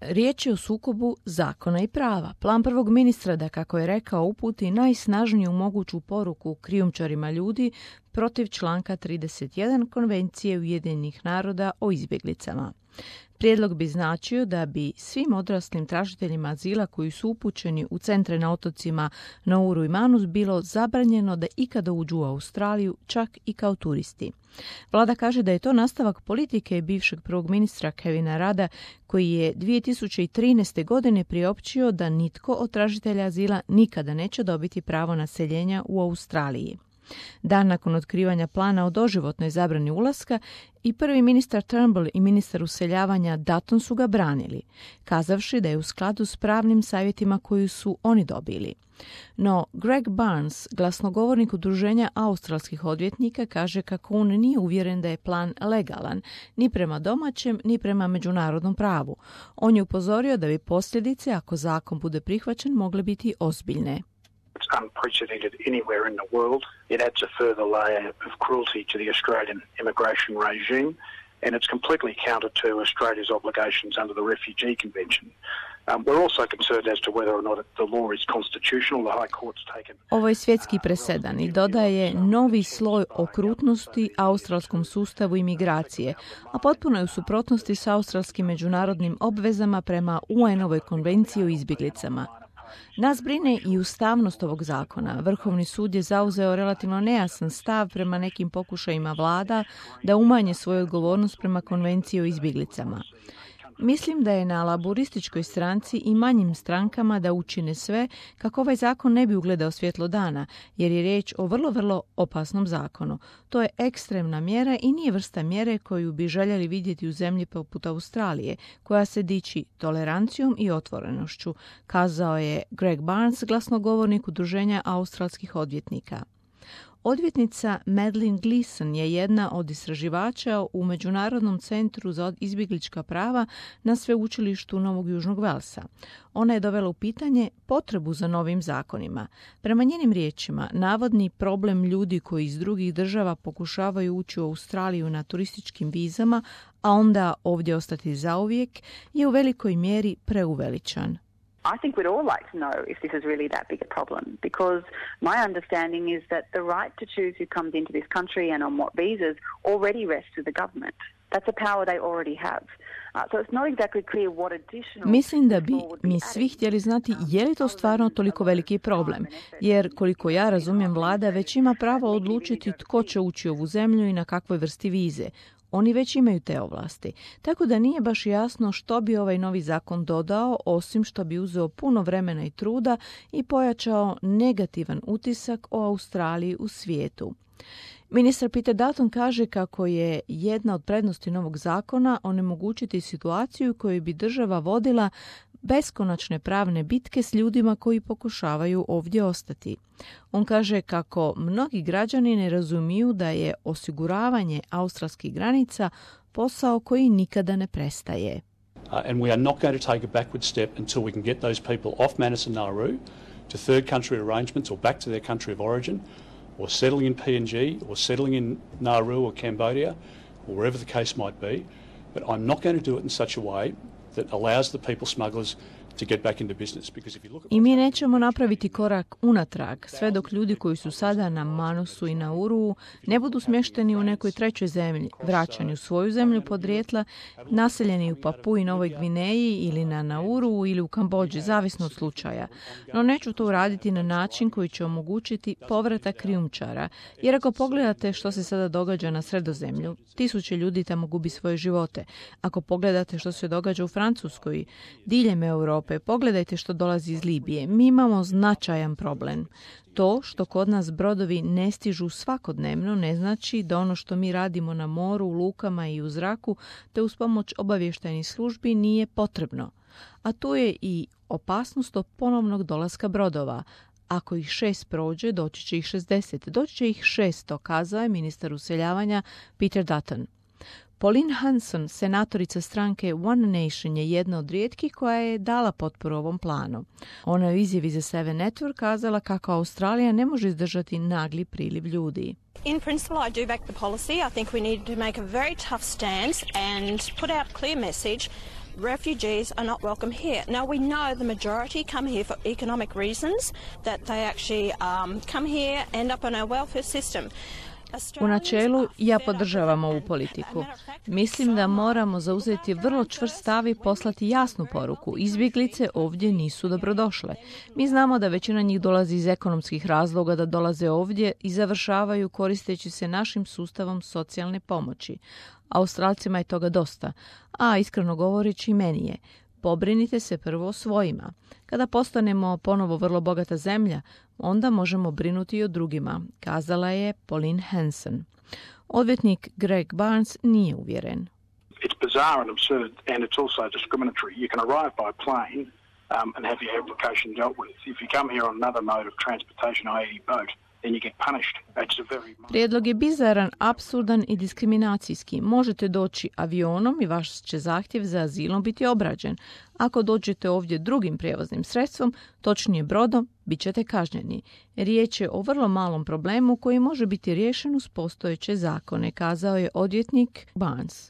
Riječ je o sukobu zakona i prava. Plan prvog ministra da, kako je rekao, uputi najsnažniju moguću poruku krijumčarima ljudi protiv članka 31 Konvencije Ujedinjenih naroda o izbjeglicama. Prijedlog bi značio da bi svim odraslim tražiteljima azila koji su upućeni u centre na otocima Nauru i Manus bilo zabranjeno da ikada uđu u Australiju, čak i kao turisti. Vlada kaže da je to nastavak politike bivšeg prvog ministra Kevina Rudda, koji je 2013. godine priopćio da nitko od tražitelja azila nikada neće dobiti pravo naseljenja u Australiji. Dan nakon otkrivanja plana o doživotnoj zabrani ulaska, i prvi ministar Turnbull i ministar useljavanja Dutton su ga branili, kazavši da je u skladu s pravnim savjetima koju su oni dobili. No, Greg Barnes, glasnogovornik udruženja australskih odvjetnika, kaže kako on nije uvjeren da je plan legalan, ni prema domaćem, ni prema međunarodnom pravu. On je upozorio da bi posljedice, ako zakon bude prihvaćen, mogle biti ozbiljne. It's unprecedented anywhere in the world. It adds a further layer of cruelty to the Australian immigration regime, and it's completely counter to Australia's obligations under the Refugee Convention. We're also concerned as to whether or not the law is constitutional. The High Court's taken... Ovo je svjetski presedan i dodaje novi sloj okrutnosti australskom sustavu imigracije, a potpuno je u suprotnosti s australskim međunarodnim obvezama prema UN-ovoj konvenciji o izbjeglicama. Nas brine i ustavnost ovog zakona. Vrhovni sud je zauzeo relativno nejasan stav prema nekim pokušajima vlada da umanje svoju odgovornost prema konvenciji o izbjeglicama. Mislim da je na laburističkoj stranci i manjim strankama da učine sve kako ovaj zakon ne bi ugledao svjetlo dana, jer je riječ o vrlo opasnom zakonu. To je ekstremna mjera i nije vrsta mjere koju bi željeli vidjeti u zemlji poput Australije, koja se diči tolerancijom i otvorenošću, kazao je Greg Barnes, glasnogovornik udruženja australskih odvjetnika. Odvjetnica Madeleine Gleeson je jedna od istraživača u Međunarodnom centru za izbjeglička prava na sveučilištu Novog Južnog Velsa. Ona je dovela u pitanje potrebu za novim zakonima. Prema njenim riječima, navodni problem ljudi koji iz drugih država pokušavaju ući u Australiju na turističkim vizama, a onda ovdje ostati zauvijek, je u velikoj mjeri preuveličan. I think we'd all like to know if this is really that big a problem, because my understanding is that the right to choose who comes into this country and on what visas already rests with the government. That's a power they already have. So it's not exactly clear what additional... Mislim da bi mi svi htjeli znati je li to stvarno toliko veliki problem, jer koliko ja razumijem, vlada već ima pravo odlučiti tko će ući u ovu zemlju i na kakvoj vrsti vize. Oni već imaju te ovlasti, tako da nije baš jasno što bi ovaj novi zakon dodao, osim što bi uzeo puno vremena i truda i pojačao negativan utisak o Australiji u svijetu. Ministar Peter Dutton kaže kako je jedna od prednosti novog zakona onemogućiti situaciju koju bi država vodila beskonačne pravne bitke s ljudima koji pokušavaju ovdje ostati. On kaže kako mnogi građani ne razumiju da je osiguravanje australskih granica posao koji nikada ne prestaje. And we are not going to take a backward step until we can get those people off Manus and Nauru to third country arrangements or back to their country of origin, or settling in PNG, or settling in Nauru or Cambodia, or wherever the case might be. But I'm not going to do it in such a way that allows the people smugglers to get back into business. Because if you look at... I mi nećemo napraviti korak unatrag sve dok ljudi koji su sada na Manusu i Nauru ne budu smješteni u nekoj trećoj zemlji, vraćani u svoju zemlju podrijetla, naseljeni u Papui Novoj Gvineji ili na Nauru ili u Kambodži, zavisno od slučaja. No neću to uraditi na način koji će omogućiti povratak krijumčara, jer ako pogledate što se sada događa na Sredozemlju, 1000 ljudi tamo gubi svoje živote. Ako pogledate što se događa u Francuskoj, diljem Europe, pogledajte što dolazi iz Libije. Mi imamo značajan problem. To što kod nas brodovi ne stižu svakodnevno ne znači da ono što mi radimo na moru, u lukama i u zraku te uz pomoć obavještajnih službi nije potrebno. A tu je i opasnost od ponovnog dolaska brodova. Ako ih 6 prođe, doći će ih 60. Doći će ih 600, kazao je ministar useljavanja Peter Dutton. Pauline Hanson, senatorica stranke One Nation, je jedna od rijetkih koja je dala potporu ovom planu. Ona je u izjavi za Seven Network kazala kako Australija ne može izdržati nagli priliv ljudi. In principle, I do back the policy. I think we need to make a very tough stance and put out a clear message refugees are not welcome here. Now, we know the majority come here for economic reasons, that they actually come here, end up on our welfare system. U načelu, ja podržavam ovu politiku. Mislim da moramo zauzeti vrlo čvrst stav i poslati jasnu poruku. Izbjeglice ovdje nisu dobrodošle. Mi znamo da većina njih dolazi iz ekonomskih razloga, da dolaze ovdje i završavaju koristeći se našim sustavom socijalne pomoći. Australcima je toga dosta, a iskreno govoreći meni je. Pobrinite se prvo o svojima. Kada postanemo ponovo vrlo bogata zemlja, onda možemo brinuti i o drugima, kazala je Pauline Hanson. Odvjetnik Greg Barnes nije uvjeren. It's bizarre and absurd, and it's also discriminatory. You can arrive by plane and have your application dealt with. If you come here on another mode of transportation, i.e. boat, then you get punished. It's a very... Prijedlog je bizaran, apsurdan i diskriminacijski. Možete doći avionom i vaš će zahtjev za azilom biti obrađen. Ako dođete ovdje drugim prijevoznim sredstvom, točnije brodom, bit ćete kažnjeni. Riječ je o vrlo malom problemu koji može biti riješen uz postojeće zakone, kazao je odvjetnik Barnes.